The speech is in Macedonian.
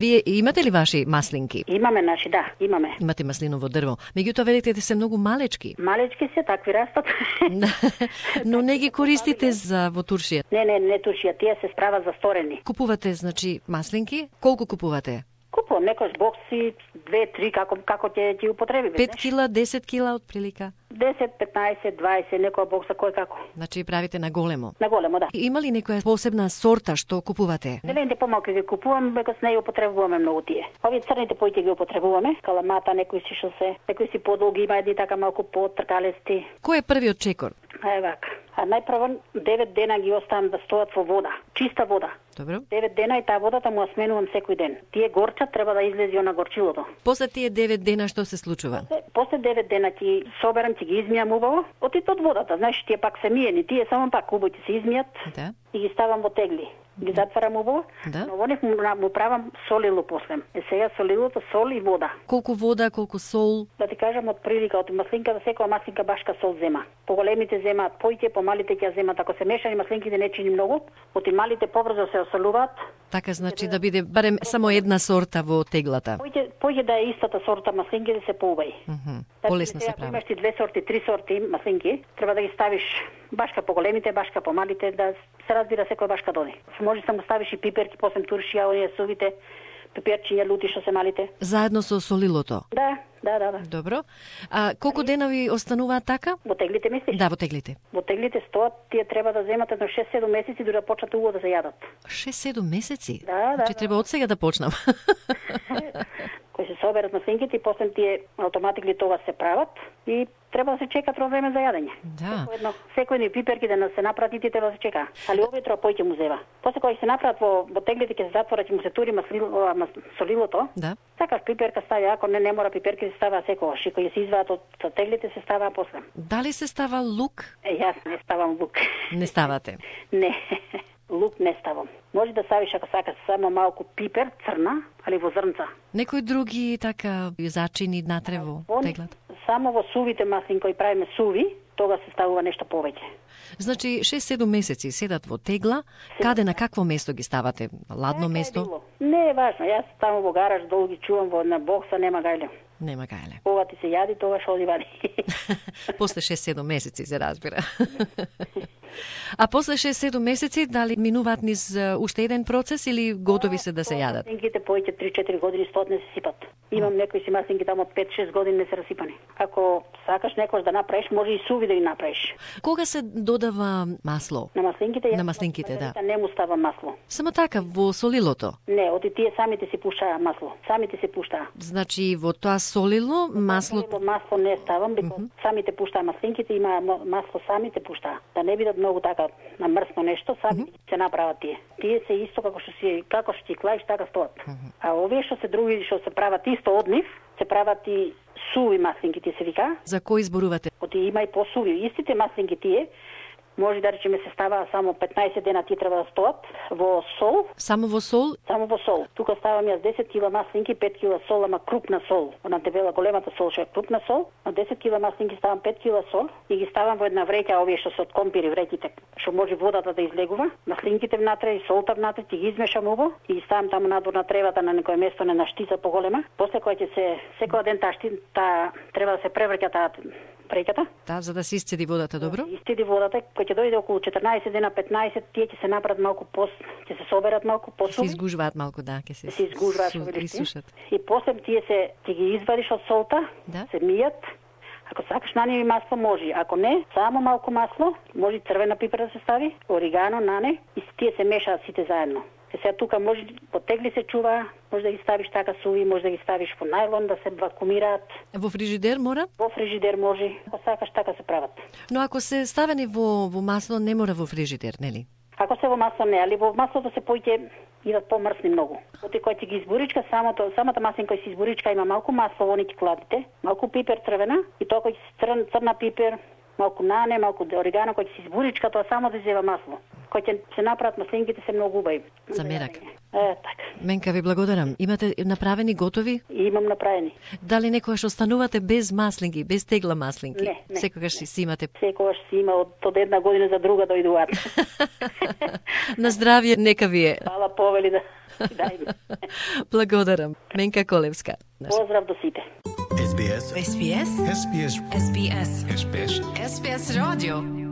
Вие имате ли ваши маслинки? Имаме наши, да, имаме. Имате маслиново дрво. Меѓутоа велите се многу малечки. Малечки се, такви растат. Но не ги користите за во туршија. Не туршија, тие се справат за сторени. Купувате, значи, маслинки? Колку купувате? Купувам некој бокси, 2-3, како ќе ги употреби. 5 кила, 10 кила од прилика? 10, 15, 20, некоја бокса, кој како. Значи правите на големо? На големо, да. Има ли некоја посебна сорта што купувате? Зелените помалку ги купувам, бекос не ги употребуваме многу тие. Овие црните поите ги употребуваме, каламата, некои си што се, некои си подолги, има едни така малку потркалести. Кој е првиот чекор? Вака. А најпрво 9 дена ги оставам да стојат во вода, чиста вода. Добро. 9 дена и таа водата му ја сменувам секој ден. Тие горчат, треба да излезе на горчилото. После тие 9 дена што се случува? После 9 дена ќе соберам, ќе ги измијам убаво. Од водата, знаеш, тие пак се миени, тие само пак убаво ќе се измијат. Да. И ги ставам во тегли. Ги затварам убаво, да. Но во них му правам солило после. Сега солилото, сол и вода. Колку вода, колку сол? Да ти кажам, од прилика, од маслинката, секоја маслинка башка сол зема. Поголемите земаат поите, помалите ќе земаат. Ако се мешани маслинките не чини многу, од и малите побрзо се осолуваат. Така значи да биде барем само една сорта во теглата. Поќе да е истата сорта маслинки да се поубави. Полесно се прави. Ако имаш ти 2 сорти, 3 сорти маслинки, треба да ги ставиш башка по големите, башка по малите, да се разбира секоја башка доди. Може само ставиш и пиперки, после туршија, оние сувите пиперчиња, лути што се малите. Заедно со солилото? Да. Добро. А колку денови остануваат така? Во теглите мислиш? Да, во теглите. Во теглите стоат, тие треба да земат едно 6-7 месеци дури да почнат убаво да се јадат. 6-7 месеци? Да. Значи треба од сега да почнам. Кои се соберат маслинките и после тие автоматикли тоа се прават и треба да се чека тро време за јадење. Да. Секој пиперки да се направат и треба да се чека. Али овие тро поќе му зева. После кога ќе се направат во теглите ќе се затворат и му се тури солилото. Да. Сакаш пиперка стави, ако не мора пиперки се става секогаш. И кога се изваат од теглите се става после. Дали се става лук? Јас не ставам лук. Не ставате? Не. Лук не ставам. Може да ставиш ако сакаш само малку пипер, црна, али во зрнца. Некои други така зачини натре во теглата? Само во сувите маслинки кои правиме суви, тога се ставува нешто повеќе. Значи 6-7 месеци седат во тегла, каде на какво место ги ставате? Ладно место? Не е важно, јас таму во гараж долги чувам во на бокса, нема гајле. Нема гајле. Кога ти се јади, тогаш оди вади. После 6-7 месеци се разбира. А после 6-7 месеци дали минуваат низ уште еден процес или готови се да се јадат? Маслинките поќе 3-4 години стоат не се сипат. Имам некои си маслинки таму од 5-6 години не се расипани. Ако сакаш некош да направиш, може и суви да ги направиш. Кога се додава масло? На маслинките? На маслинките, да. Не му става масло. Само така, во солилото? Не, оти тие самите си пушаа масло. Самите се пуштаа. Значи во тоа солило масло... Масло не ставам, самите пуштаа маслинките, има масло самите пуштаа. Да не бидат многу така намрсно нешто, сами се направат тие. Тие се исто како што ти клаиш, така стоат. А овие што се други што се прават исто од нив, се прават и суви маслинки, се вика. За кои зборувате? Оти има и посуви. Истите маслинки тие, може да речеме се става само 15 дена тие треба да стоат во сол. Само во сол? Само во сол. Тука ставам јас 10 кила маслинки, 5 кила сол, ама крупна сол. На дебела големата сол што е крупна сол. На 10 кила маслинки ставам 5 кила сол и ги ставам во една вреќа, овие што се од компири вреќите, што може водата да излегува. Маслинките внатре и солта внатре, ти ги измешам убаво и ги ставам таму надвор на тревата на некое место на штица поголема. После кога ќе се секој ден таа треба да се преврќа таа вреќата. Да, за да се исцеди водата добро. Исцеди водата, кој ќе дојде околу 14 дена, 15, тие ќе се направат малку ќе се соберат малку посуви. Се изгужваат малку, да, ќе се изгужваат, сушат. И после тие ќе ги извадиш од солта, да? Се мијат. Ако сакаш нани масло може, ако не, само малку масло, може црвена пипер да се стави, оригано, нане и тие се мешаат сите заедно. Сега тука може по тегли се чува, може да ги ставиш така суви, може да ги ставиш во најлон да се вакуумираат. Во фрижидер мора? Во фрижидер може, ако сакаш така се прават. Но ако се ставени во масло не мора во фрижидер, нели? Ако се во масло не, али во маслото се поќе идат помрсни многу. Оти кој ти ги изборичка, самата маслинка кој си изборичка има малку масло во нити кладите, малку пипер црвена и тоа кој си црна пипер, малку нане, малку оригано кој си изборичка, тоа само да зева масло. Кој ќе се направат маслинките се многу убави. За мерак. Така. Менка ви благодарам. Имате направени готови? Имам направени. Дали некогаш останувате без маслинки, без тегла маслинки? Не. Секогаш си имате? Секогаш си има од една година за друга дојдуваат. На здравје, нека ви е. Фала повели да. Дајме. Благодарам. Менка Колевска. Поздрав до сите. SBS. SBS. SBS. SBS. SBS. SBS Radio.